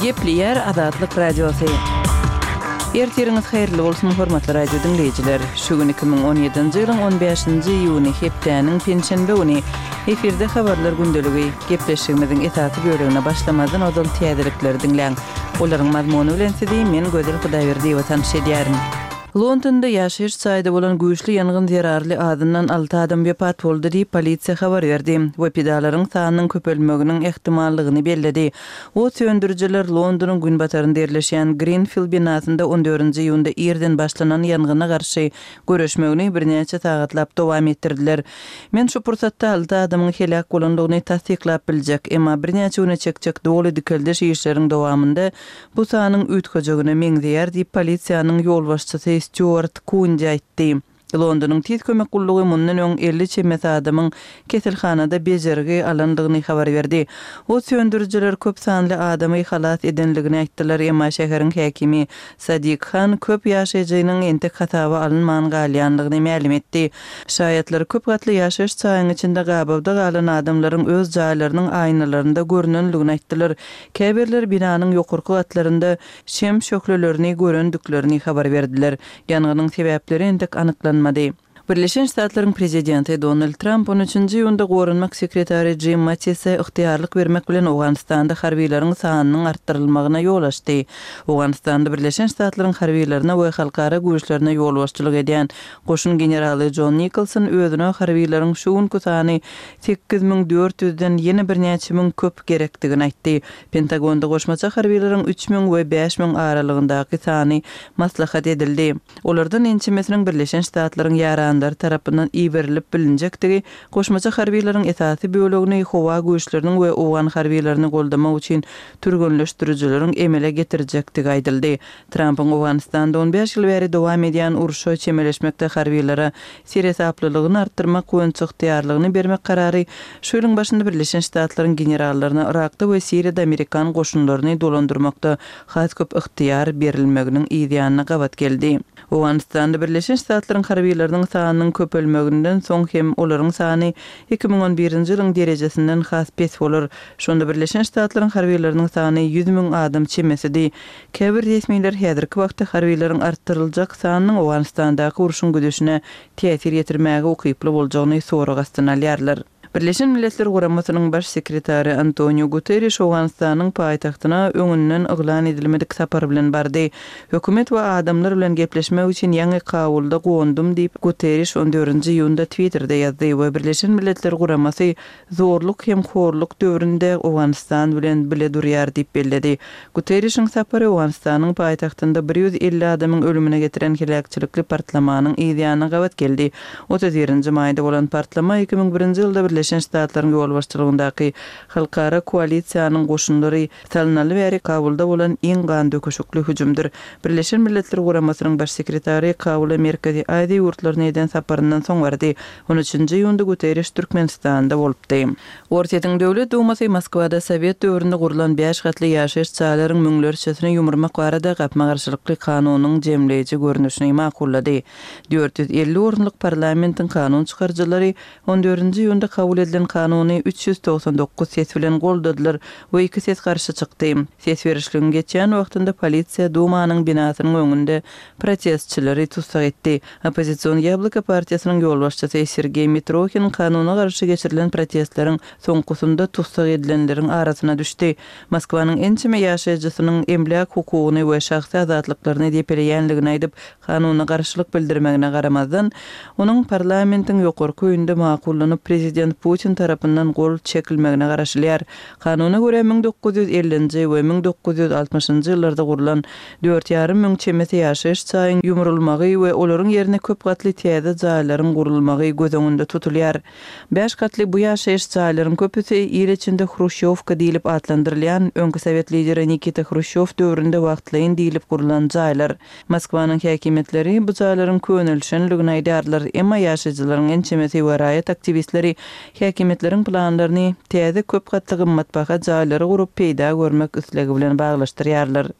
Gepleýär Azatlyk Radiosy. Ertiriňiz haýyrly bolsun, hormatly radio diňleýjiler! Şu gün 2017-nji ýylyň on bäşinji iýuny, hepdäniň penşenbe güni. Efirde Habarlar gündeligi. Gepleşigimiziň esasy bölegine başlamazdan ozal täzelikleri diňläň. Olaryň mazmuny bilen sizi men Gözel Hudaýberdiýewa tanyş edýärin. Londonda ýaşaýyş jaýda bolan güýçli ýangyn zerarly azyndan alty adam wepat boldy diýip, polisiýa habar berdi we pidalaryň sanynyň köpelmeginiň ähtimallygyny belledi. Ot söndürijiler Londonyň günbatarynda ýerleşýän Grenfell binasynda on dördünji iýunda irden başlanan ýangyna garşy göreşmegini birnäçe sagatlap dowam etdirdiler. Men şu pursatda alty adamyň heläk bolandygyny tassyklap biljek, emma birnäçe güne çekjek doly dikeldiş işleriň dowamynda Bu sanyň üýtgejegine meňzeýär diýip, polisiýanyň ýolbaşçysy Stýuart Kundi aýtdy. Londonyň tiz kömek gullugy mundan öň 50 çemesi adamyň keselhanada bejergi alandygyny habar berdi. Ot söndürijiler köp sanly adamy halas edenligini aýtdylar, emma şäheriň häkimi Sadik Han köp ýaşaýjynyň entek hasaba alynman galýandygyny mälim etdi. Şaýatlar köp gatly ýaşaýyş jaýyň içinde gabawda galan adamlaryň öz jaýlarynyň aýnalarynda görnenligini aýtdylar. Käbirleri binanyň ýokarky gatlarynda şem şöhlelerini görendiklerini habar berdiler. Ýangynyň sebäpleri entek anyklanmady. Birleşen Ştatlaryň prezidenti Donald Tramp on üçünji iýunda goranmak sekretary Jim Mattise ygtyýarlyk bermek bilen Owganystanda harbylaryň sanynyň artdyrylmagyna ýol açdy. Owganystanda Birleşen Ştatlaryň harbylaryna we halkara güýçlerine ýolbaşçylyk edýän goşun generaly Jon Nikolson özüne harbylaryň şu günki sany 8400 den ýene birnäçe müň köp gerekdigini aýtdy. Pentagonda goşmaça harbylaryň 3000 we 5000 aralygyndaky sany maslahat edildi. Olardan ençemesiniň Birleşen Ştatlaryň ýaranlary tarapyndan iberilip bilinjekdigi, goşmaça harbylaryň esasy bölegini howa güýçleriniň we owgan harbylaryny goldamak üçin türgenleşdirijileriň emele getirjekdigi aýdyldy. Trampyň Owganystanda on bäş ýyl bäri dowam edýän urşa çemeleşmekde harbylara seresaplylygyny artdyrmak boýunça ygtyýarlygyny bermek karary şu ýylyň başynda Birleşen Ştatlaryň generallaryna Yrakda we Siriýada amerikan goşunlaryny dolandyrmakda has köp ygtyýar berilmeginiň yz ýanyna gabat geldi. Owganystanda Birleşen Ştatlaryň harbylarynyň sanynyň köpelmeginden soň hem olaryň sany 2011-nji ýylyň derejesinden has pes bolar. Şonda Birleşen Ştatlaryň harbylarynyň sany 100 müň adam çemesidi. Käbir resmiler häzirki wagtda harbylaryň artdyryljak sanynyň Owganystandaky urşuň gidişine täsir ýetirmäge ukyply boljagyny sorag astyna alýarlar. Birleşen Milletler Guramasynyň Baş sekretary Antoniu Guterriş Owganystanyň paýtagtyna öňünden yglan edilmedik sapar bilen bardy. Hökümet we adamlar bilen gepleşmek üçin ýaňy Kabulda gondum diýip, Guterriş on dördünji iýunda Twitterde ýazdy we Birleşen Milletler Guramasy zorluk hem horluk döwründe Owganystan bilen bile durýar diýip belledi. Guterrişiň sapary Owganystanyň paýtagtynda 150 adamyň ölümine getiren heläkçilikli partlamanyň yz ýanyna gabat geldi. 31-nji maýda bolan partlama 2001-nji ýylda Birleşen Ştatlaryň ýolbaşçylygyndaky halkara koalisiýanyň goşunlary salynaly bäri Kabulda bolan iň gandöküşikli hüjümdir. Birleşen Milletler Guramasynyň Baş sekretary Kabula Merkezi Aziýa ýurtlaryna eden saparyndan soň bardy. On üçünji iýunda Guterriş Türkmenistanda bolupdy. Orsýetiň Döwlet Dumasy Moskwada sowet döwründe gurlan bäş gatly ýaşaýyş jaýlaryň müňlerçesini ýumurmak barada gapma-garşylykly kanunyň jemleýji görnüşini makullady. 450 orunlyk parlamentiň kanun çykaryjylary on dördünji iýunda kabul edilen kanuny 399 ses bilen goldadylar we iki ses garşy çykdy. Ses berişligiň geçýän wagtynda polisiýa Dumanyň binasynyň öňünde protestçileri tussag etdi. Oppozision Ýabloko partiýasynyň ýolbaşçysy Sergeý Mitrohin kanuna garşy geçirilen protestleriň soňkusynda tussag edilenleriň arasyna düşdi. Moskwanyň ençeme ýaşaýjysynyň emläk hukugyny we şahsy azatlyklaryny depeleýänligini aýdyp, kanuna garşylyk bildirmegine garamazdan, onuň parlamentiň ýokarky öýünde makullanyp, prezident Putin tarapyndan gol çekilmegine garaşylýar. Kanuna görä, 1950-nji we 1960-njy ýyllarda gurlan Dört ýarym müň çemesi ýaşaýyş jaýyň ýumrulmagy we olaryň ýerine köp gatly täze jaýlaryň gurulmagy göz öňünde tutulýar. Bäş gatly bu ýaşaýyş jaýlaryň köpüsi il içinde hruşýowka diýlip atlandyrylýan, öňki sowet lideri Nikita Hruşýow döwründe wagtlaýyn diýlip gurlan jaýlar. Moskwanyň häkimiýetleri bu jaýlaryň könelişenligini aýdýarlar, emma ýaşaýjylaryň ençemesi we raýat aktiwistleri häkimiýetleriň planlaryny täze köp gatly gymmatbaha jaýlary gurup peýda görmek islegi bilen baglaşdyrýarlar.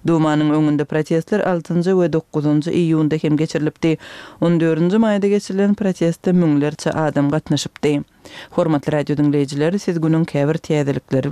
Dumanyň öňünde protestler altynjy we dokuzynjy iýunda hem geçirilipdi. On dördünji maýda geçirilen proteste müňlerçe adam gatnaşypdy. Hormatly radio diňleýjiler, siz günüň käbir täzelikleri bilen.